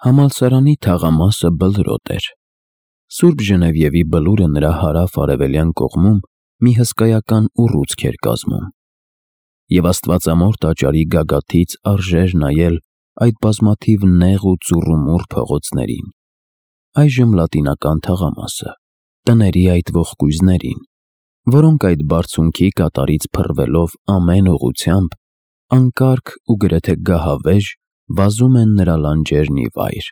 Համալսարանի թաղամասը բլրոտ էր։ Սուրբ Ժնևիևի բլուրը նրա հարավ-արևելյան կողմում մի հսկայական ուռուցք էր կազմում, և աստվածամոր տաճարի գագաթից արժեր նայել այդ բազմաթիվ նեղ ու ծուռումուռ փողոցներին, այժմ լատինական թաղամասը, տների այդ ողկույզներին, որոնք այդ բարձունքի կատարից փռվելով ամեն ուղղությամբ, անկարգ ու գրեթե գահավեժ վազում են նրա լանջերն ի վայր,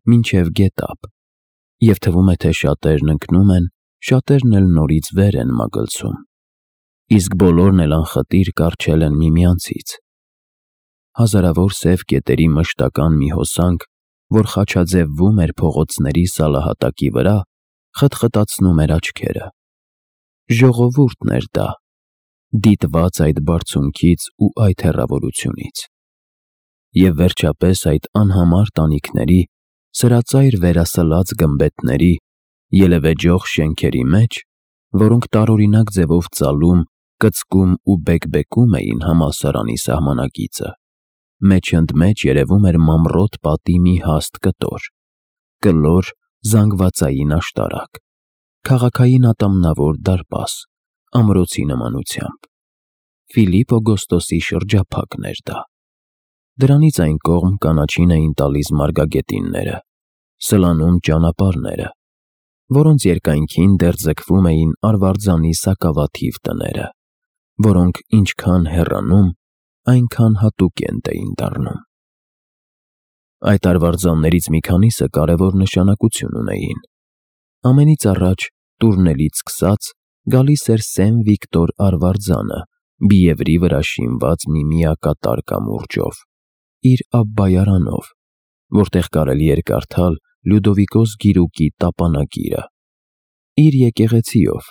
մինչև գետափ, և թվում է, թե շատերն ընկնում են, շատերն էլ նորից վեր են մագլցում, իսկ բոլորն էլ անխտիր կառչել են միմյանցից։ Հազարավոր սև կետերի մշտական մի հոսանք, որ խաչաձևվում էր փողոցների սալահատակի վրա, խտխտացնում էր աչքերը։ Ժողովուրդն էր դա, դիտված այդ բարձունքից ու այդ հեռավորությունից։ Եվ վերջապես այդ անհամար տանիքների, սրածայր վերասլած գմբեթների, ելևէջող շենքերի մեջ, որոնք տարօրինակ ձևով ծալում, կծկում ու բեկբեկում էին համալսարանի սահմանակիցը, մեջ-ընդմեջ երևում էր մանրոտ պատի մի հաստ կտոր, կլոր զանգվածային աշտարակ, քաղաքային ատամնավոր դարպաս, ամրոցի նմանությամբ։ Ֆիլիպ Օգոստոսի շրջափակն էր դա։ Դրանից այն կողմ կանաչին էին տալիս մարգագետինները, սլանում ճանապարհները, որոնց երկայնքին դեռ ձգվում էին արվարձանի սակավաթիվ տները, որոնք ինչքան հեռանում, այնքան հատուկենտ էին դառնում։ Այդ արվարձաններից մի քանիսը կարևոր նշանակություն ունեին։ Ամենից առաջ, տուրնելից սկսած, գալիս էր Սեն Վիկտոր արվարձանը, բիևրի վրա շինված մի միակատար կամուրջով, իր Աբբայարանով, որտեղ կարելի էր կարդալ Լյուդովիկոս գիրուկի տապանագիրը, իր եկեղեցիով,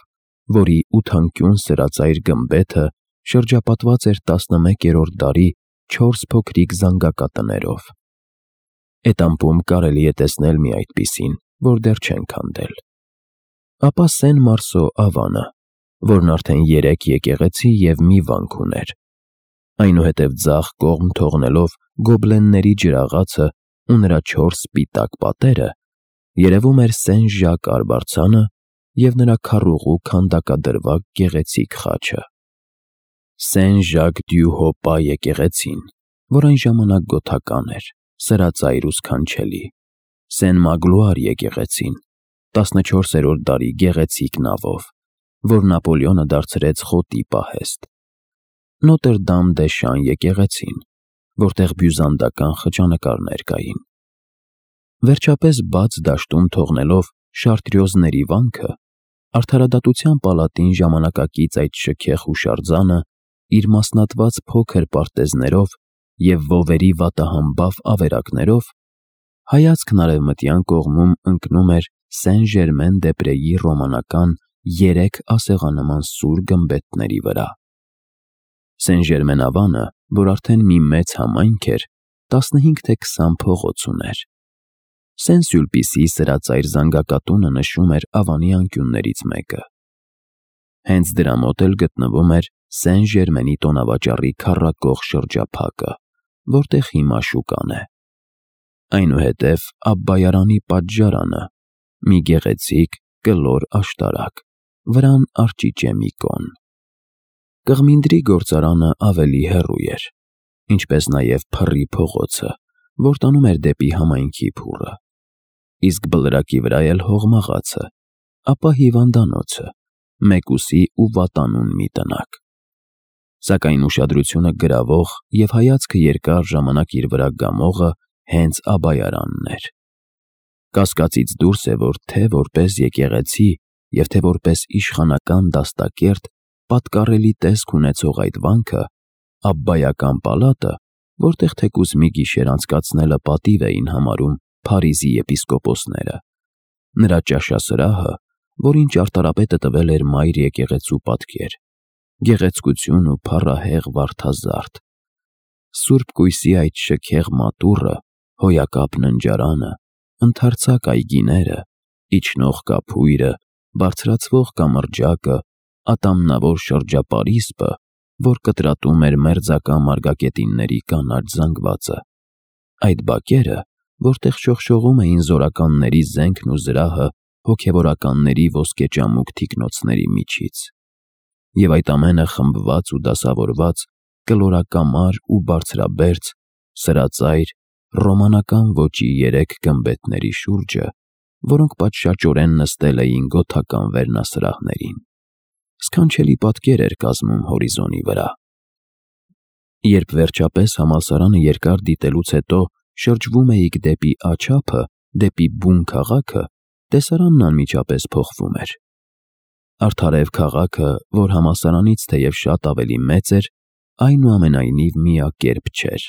որի ութանկյուն սրածայր գմբեթը շրջապատված էր 11-րդ դարի 4 փոքրիկ զանգակատներով։ Էտամպում կարելի է տեսնել մի այդպիսին, որ դեռ չեն քանդել։ Ապա Սեն Մարսո Ավանը, որն արդեն 3 եկեղեցի և մի վանք ուներ, այնուհետև ձախ կողմ թողնելով գոբլենների ջրաղացը ու նրա 4 սպիտակ պատերը, երևում էր Սեն Ժակ արվարձանը և նրա քառուղու քանդակադրվակ գեղեցիկ խաչը։ Սեն Ժակ դյու Հոպա եկեղեցին, որ այն ժամանակ գոթական էր, սրածայր ու սքանչելի, Սեն Մագլուար եկեղեցին, 14-րդ դարի գեղեցիկ նավով, որ Նապոլեոնը դարձրեց խոտի պահեստ, Նոտր Դամ դե Շան եկեղեցին, որտեղ բյուզանդական խճանկարներ կային։ Վերջապես բաց դաշտում թողնելով Շարտրյոզների վանքը, արդարադատության պալատին ժամանակակից այդ շքեղ հուշարձանը իր մասնատված փոքր պարտեզներով և վովերի վատահամբավ ավերակներով, հայացքն արևմտյան կողմում ընկնում էր Սեն Ժերմեն դե Պրեի ռոմանական 3 ասեղանման սուր գմբեթների վրա։ Սեն Ժերմեն Ավանը, որ արդեն մի մեծ համայնք էր, 15 թե 20 փողոց ուներ։ Սեն Սյուլպիսի սրածայր զանգակատունը նշում էր Ավանի անկյուններից մեկը։ Հենց դրա մոտ էլ գտնվում էր Սեն Ժերմենի տոնավաճառի քառակող շրջափակը, որտեղ հիմա շուկան է։ Այնուհետև Աբբայարանի պատժարանը, մի գեղեցիկ կլոր աշտարակ, վրան արճիճե մի կոն։ Կղմինդրի գործարանը ավելի հեռու էր, ինչպես նաև Փռի փողոցը, որ տանում էր դեպի համայնքի փուռը, իսկ բլրակի վրա էլ հողմաղացը, ապա հիվանդանոցը, մեկուսի ու վատանուն մի տնակ։ Սակայն ուշադրությունը գրավող և հայացքը երկար ժամանակ իր վրա գամողը հենց Աբբայարանն էր։ Կասկածից դուրս է, որ թե որպես եկեղեցի և թե որպես իշխանական դաստակերտ պատկառելի տեսք ունեցող այդ վանքը, Աբբայական պալատը, որտեղ թեկուզ մի գիշեր անցկացնելը պատիվ էին համարում Փարիզի եպիսկոպոսները, նրա ճաշասրահը, որին ճարտարապետը տվել էր մայր եկեղեցու պատկեր, գեղեցկություն ու փառահեղ վարդազարդ, Սուրբ Կույսի այդ շքեղ մատուռը, հոյակապ ննջարանը, ընդարձակ այգիները, իջնող կափույրը, բարձրացվող կամրջակը, ատամնավոր շրջապարիսպը, որ կտրատում էր մերձակա մարգագետինների կանաչ զանգվածը, այդ բակերը, որտեղ շողշողում էին զորականների զենքն ու զրահը հոգևորականների ոսկեճամուկ թիկնոցների միջից։ Եվ այդ ամենը խմբված ու դասավորված կլորակամար ու բարձրաբերձ, սրածայր, ռոմանական ոճի 3 գմբեթների շուրջը, որոնք պատշաճորեն նստել էին գոթական վերնասրահներին։ Սքանչելի պատկեր էր կազմում հորիզոնի վրա։ Երբ վերջապես համալսարանը երկար դիտելուց հետո շրջվում էիք դեպի Աջափը, դեպի բուն քաղաքը, տեսարանն անմիջապես փոխվում էր։ Արդարև քաղաքը, որ համալսարանից թեև շատ ավելի մեծ էր, այնուամենայնիվ միակերպ չէր։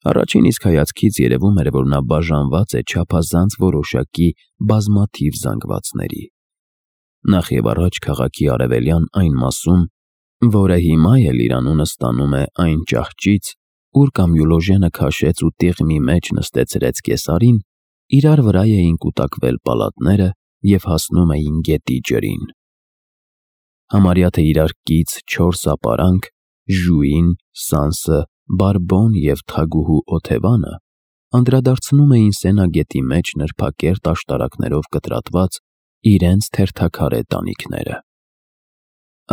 Առաջին իսկ հայացքից երևում էր, որ նա բաժանված է չափազանց որոշակի բազմաթիվ զանգվածների։ Նախ եւ առաջ քաղաքի արևելյան այն մասում, որը հիմա էլ իր անունը ստանում է այն ճահճից, ուր Կամյուլոժենը քաշեց ու տիղմի մեջ նստեցրեց կեսարին, իրար վրա էին կուտակվել պալատները եւ հասնում էին գետի ջրին։ Համարյա թե իրար կից 4 ապարանք՝ Ժուին, Սանսը, Բարբոն եւ Թագուհու Օթևանը անդրադարձնում էին Սենագետի մեջ նրբակերտ աշտարակներով կտրատված իրենց թերթաքարե տանիքները։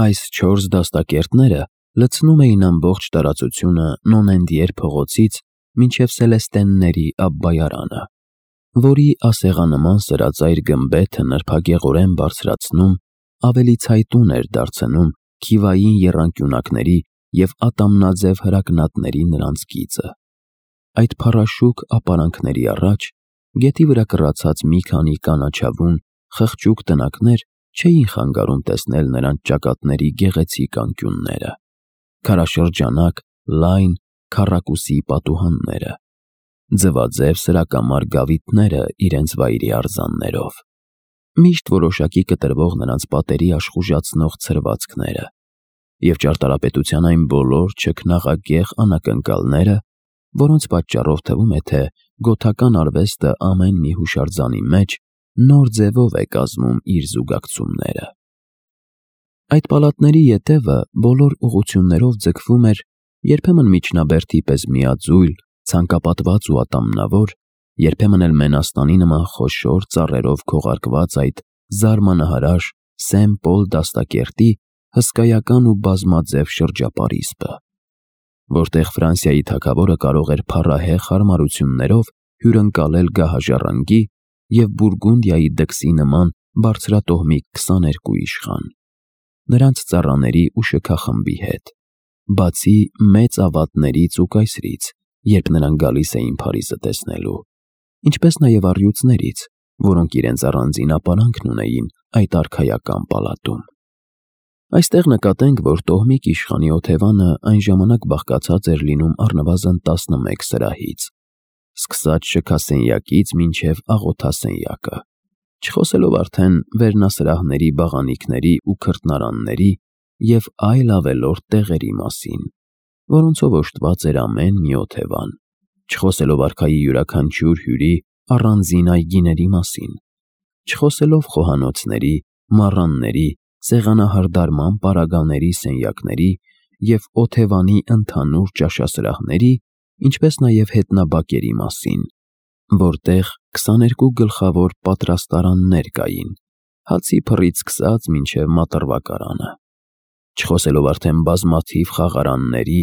Այս 4 դաստակերտները լցնում էին ամբողջ տարածությունը Նոնենդիեր փողոցից մինչև Սելեստենների Աբբայարանը, որի ասեղանման սրածայր գմբեթը նրբագեղորեն բարձրացնում, ավելի ցայտուն էր դարձնում քիվային եռանկյունակների և ատամնաձև հրակնատների նրանց գիծը։ Այդ փառաշուկ ապարանքների առաջ գետի վրա կռացած մի քանի կանաչավուն, խղճուկ տնակներ չէին խանգարում տեսնել նրանց ճակատների գեղեցիկ անկյունները, քարաշրջանակ, լայն, քառակուսի պատուհանները, ձվաձև սրակամար գավիթները իրենց վայրի արձաններով, միշտ որոշակի կտրվող նրանց պատերի աշխուժացնող ցրվածքները և ճարտարապետության այն բոլոր չքնաղագեղ անակնկալները, որոնց պատճառով թվում է, թե գոթական արվեստը ամեն մի հուշարձանի մեջ նոր ձևով է կազմում իր զուգակցումները։ Այդ պալատների ետևը բոլոր ուղղություններով ձգվում էր, երբեմն միջնաբերդի պես միաձույլ, ցանկապատված ու ատամնավոր, երբեմն էլ մենաստանի նման խոշոր ծառերով քողարկված այդ զարմանահարաշ Սեն-Պոլ դաստակերտի հսկայական ու բազմաձև շրջապարիսպը, որտեղ Ֆրանսիայի թագավորը կարող էր փառահեղ հարմարություններով հյուրընկալել գահաժառանգի և Բուրգունդիայի դքսի նման բարձրատոհմիկ 22 իշխան, նրանց ծառաների ու շքախմբի հետ, բացի մեծ ավատներից ու կայսրից, երբ նրանք գալիս էին Փարիզը տեսնելու, ինչպես նաև առյուծներից, որոնք իրենց առանձին ապարանքն ունեին այդ արքայական պալատում։ Այստեղ նկատենք, որ տոհմիկ իշխանի Օթևանը այն ժամանակ բաղկացած էր լինում առնվազն 11 սրահից, սկսած շքասենյակից մինչև աղոթասենյակը, չխոսելով արդեն վերնասրահների, բաղանիքների ու քրտնարանների և այլ ավելորդ տեղերի մասին, որոնցով օժտված էր ամեն մի Օթևան, չխոսելով արքայի յուրաքանչյուր հյուրի առանձին այգիների մասին, չխոսելով խոհանոցների, մառանների, սեղանահարդարման պարագաների սենյակների և Օթևանի ընդհանուր ճաշասրահների, ինչպես նաև հետնաբակերի մասին, որտեղ 22 գլխավոր պատրաստարաններ կային, հացի փռից սկսած մինչև մատռվակարանը, չխոսելով արդեն բազմաթիվ խաղարանների,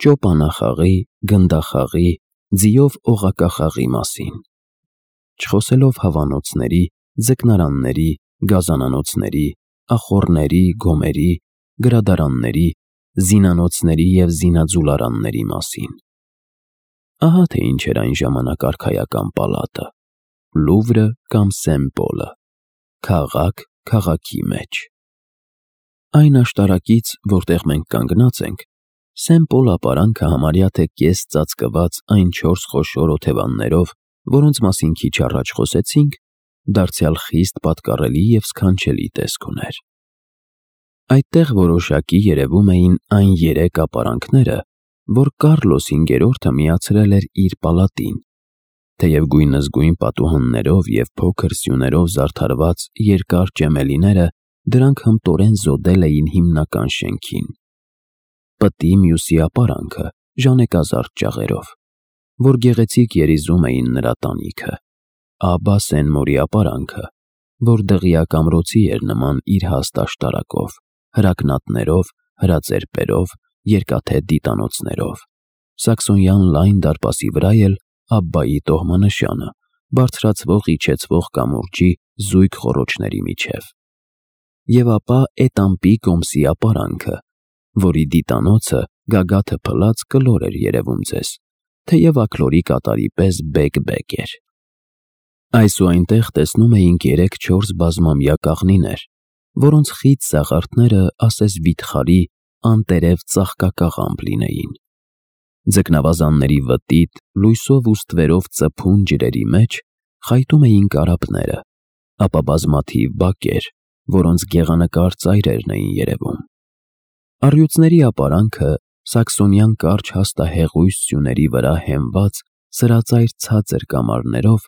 ճոպանախաղի, գնդախաղի, ձիով օղակախաղի մասին, չխոսելով հավանոցների, ձկնարանների, գազանանոցների, ախոռների, գոմերի, գրադարանների, զինանոցների և զինաձուլարանների մասին։ Ահա թե ինչ էր այն ժամանակ արքայական պալատը, Լուվրը կամ Սեն-Պոլը, քաղաք քաղաքի մեջ։ Այն աշտարակից, որտեղ մենք կանգնած ենք, Սեն-Պոլ ապարանքը համարյա թե կես ծածկված այն 4 խոշոր օթևաններով, որոնց մասին քիչ առաջ խոսեցինք, դարձյալ խիստ պատկառելի և սքանչելի տեսք ուներ։ Այդտեղ որոշակի երևում էին այն 3 ապարանքները, որ Կարլոս V-րդը միացրել էր իր պալատին, թեև գույնզգույն պատուհաններով և փոքր սյուներով զարդարված երկար ճեմելիները դրանք հմտորեն զոդել էին հիմնական շենքին, պտի մյուսի ապարանքը ժանեկազարդ ճաղերով, որ գեղեցիկ երիզում էին նրա տանիքը, Աբա Սեն-Մորի ապարանքը, որ դղյակ ամրոցի էր նման իր հաստ աշտարակով, հրակնատներով, հրաձերպերով, երկաթե դիտանոցներով, սաքսոնյան լայն դարպասի վրա էլ Աբբայի տոհմանշանը, բարձրացվող իջեցվող կամուրջի զույգ խոռոչների միջև, և ապա Էտամպի կոմսի ապարանքը, որի դիտանոցը գագաթը փլած կլոր էր երևում ձեզ, թեև աքլորի կատարի պես բեկ-բեկ էր։ Այս ու այնտեղ տեսնում էինք 3-4 բազմամյա կաղնիներ, որոնց խիտ սաղարթները ասես վիթխարի անտերև ծաղկակաղամբ լինեին։ Ձկնավազանների վտիտ, լույսով ու ստվերով ծփուն ջրերի մեջ խայտում էին կարապները, ապա բազմաթիվ բակեր, որոնց գեղանկար ծայրերն էին երևում։ Առյուծների ապարանքը սաքսոնյան կարճ հաստահեղույց սյուների վրա հենված սրածայր ցածր կամարներով,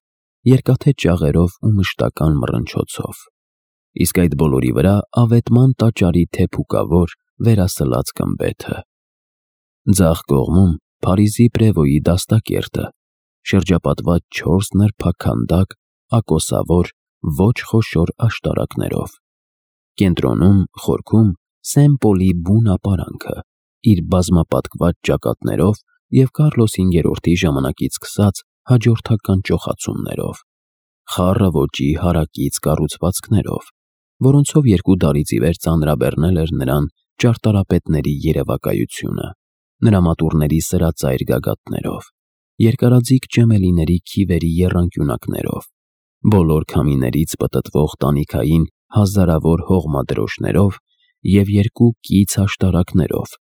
երկաթե ճաղերով ու մշտական մռնչոցով, իսկ այդ բոլորի վրա ավետման տաճարի թեփուկավոր վերասլած գմբեթը։ Ձախ կողմում Փարիզի Պրևոյի դաստակերտը, շրջապատված 4 նրբակ քանդակ, ակոսավոր, ոչ խոշոր աշտարակներով։ Կենտրոնում, խորքում Սեն-Պոլի բուն ապարանքը, իր բազմապատկված ճակատներով և Կարլոս V-ի ժամանակից սկսած հաջորդական ճոխացումներով, խառը ոճի հարակից կառուցվածքներով, որոնցով 2 դարից ի վեր ծանրաբեռնել էր նրան ճարտարապետների երևակայությունը, նրա մատուռների սրածայր գագաթներով, երկարաձիգ ճեմելիների քիվերի եռանկյունակներով, բոլոր քամիներից պտտվող տանիքային հազարավոր հողմադրոշներով և 2 կից աշտարակներով,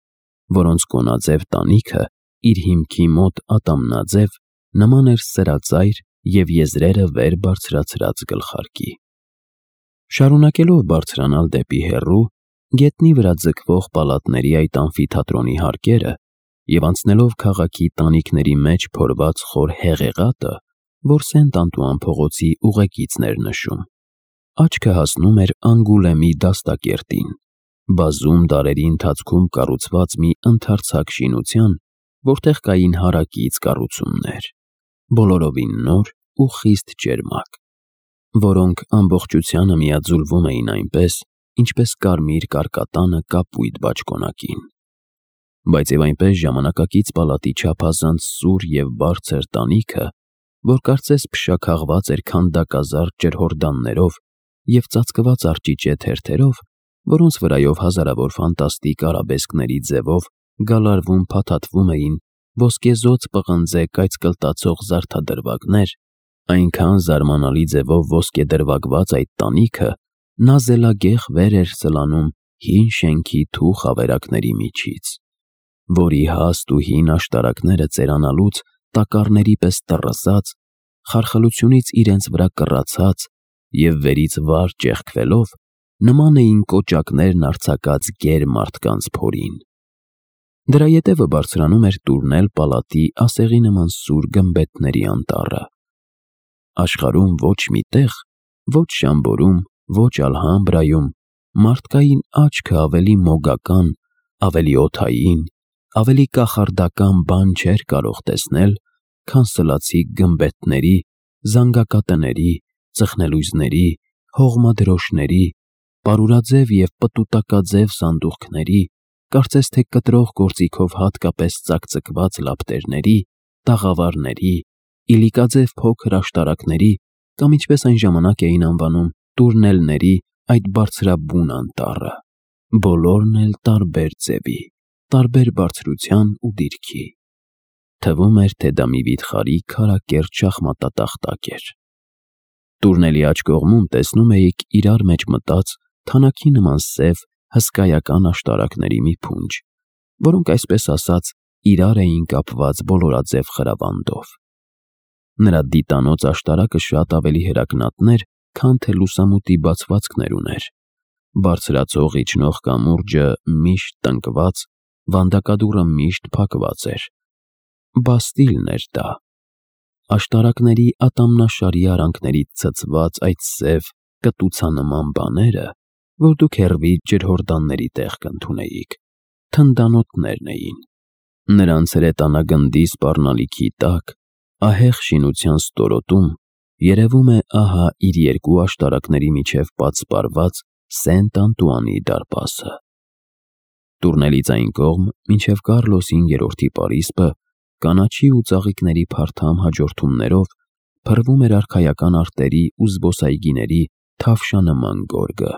որոնց կոնաձև տանիքը իր հիմքի մոտ ատամնաձև նման էր սրածայր և եզրերը վեր բարձրացրած գլխարկի։ Շարունակելով բարձրանալ դեպի հեռու, գետնի վրա ձգվող պալատների այդ ամֆիթատրոնի հարկերը և անցնելով քաղաքի տանիքների մեջ փորված խոր հեղեղատը, որ Սենտ-Անտուան փողոցի ուղեկիցն էր նշում, աչքը հասնում էր Անգուլեմի դաստակերտին, բազում դարերի ընթացքում կառուցված մի ընդարձակ շինության, որտեղ կային հարակից կառուցումներ, բոլորովին նոր ու խիստ ճերմակ, որոնք ամբողջությանը միաձուլվում էին այնպես, ինչպես կարմիր կարկատանը կապույտ բաճկոնակին, բայց և այնպես ժամանակակից պալատի չափազանց սուր և բարձր տանիքը, որ կարծես փշաքաղված էր քանդակազարդ ջրհորդաններով և ծածկված արճիճե թերթերով, որոնց վրայով հազարավոր ֆանտաստիկ արաբեսկների ձևով գալարվում-փաթաթվում էին ոսկեզօծ պղնձե կայծկլտացող զարդադրվագներ, այնքան զարմանալի ձևով ոսկեդրվագված այդ տանիքը նազելագեղ վեր էր սլանում հին շենքի թուխ ավերակների միջից, որի հաստ ու հին աշտարակները ծերանալուց տակառների պես տռզած, խարխլությունից իրենց վրա կռացած և վերից վար ճեղքվելով նման էին կոճակներն արձակած գեր մարդկանց փորին։ Դրա ետևը բարձրանում էր տուրնել պալատի ասեղի նման սուր գմբեթների անտառը։ Աշխարհում ոչ մի տեղ, ոչ Շամբորում, ոչ Ալհամբրայում մարդկային աչքը ավելի մոգական, ավելի օդային, ավելի կախարդական բան չէր կարող տեսնել, քան սլացիկ գմբեթների, զանգակատների, ծխնելույզների, հողմադրոշների, պարուրաձև և պտուտակաձև սանդուղքների, կարծես թե կտրող գործիքով հատկապես ծակծկված լապտերների, տաղավարների, իլիկաձև փոքր աշտարակների կամ ինչպես այն ժամանակ էին անվանում տուրնելների այդ բարձրաբուն անտառը, բոլորն էլ տարբեր ձևի, տարբեր բարձրության ու դիրքի։ Թվում էր, թե դա մի վիթխարի քարակերտ շախմատատախտակ էր։ Տուրնելի աջ կողմում տեսնում էիք իրար մեջ մտած թանաքի նման սև հսկայական աշտարակների մի փունջ, որոնք այսպես ասած իրար էին կապված բոլորաձև խրավանդով։ Նրա դիտանոց աշտարակը շատ ավելի հրակնատն էր, քան թե լուսամուտի բացվածքներ ուներ, բարձրացող իջնող կամուրջը միշտ տնկված, վանդակադուռը միշտ փակված էր։ Բաստիլն էր դա։ Աշտարակների ատամնաշարի արանքներից ցցված այդ սև կտուցանման բաները, որ դուք հեռվից ջրհորդանների տեղ կընդունեիք, թնդանոթներն էին, Նրանց հրետանագնդի սպառնալիքի տակ, ահեղ շինության ստորոտում, երևում է ահա իր երկու աշտարակների միջև պատսպարված Սենտ Անտուանի դարպասը։ Տուրնելից այն կողմ, մինչև Կառլոսի 5-րդի պարիսպը, կանաչի ու ծաղիկների փարթամ հաջորդումներով փռվում էր արքայական արտերի ու զբոսայգիների թավշանման գորգը,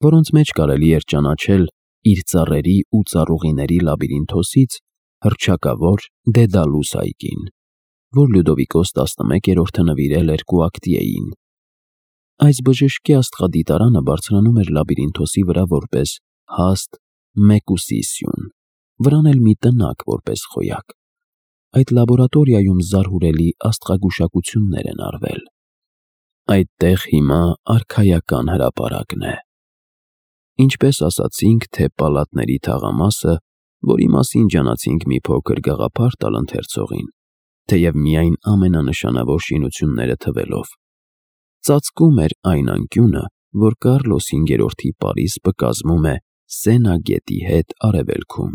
որոնց մեջ կարելի էր ճանաչել իր ծառերի ու ծառուղիների լաբիրինթոսից հռչակավոր Դեդալուս այգին, որ Լյուդովիկոս 11-րդը նվիրել էր Կուակտիեին։ Այս բժշկի աստղադիտարանը բարձրանում էր լաբիրինթոսի վրա որպես հաստ մեկուսի սյուն, վրան էլ մի տնակ որպես խոյակ։ Այդ լաբորատորիայում զարհուրելի աստղագուշակություններ են արվել։ Այդտեղ հիմա արքայական հրապարակն է։ Ինչպես ասացինք, թե պալատների թաղամասը, որի մասին ջանացինք մի փոքր գաղափար տալ ընթերցողին, թեև միայն ամենանշանավոր շինությունները թվելով, ծածկում էր այն անկյունը, որ Կառլոս 5-րդի պարիսպը կազմում է Սենա գետի հետ արևելքում։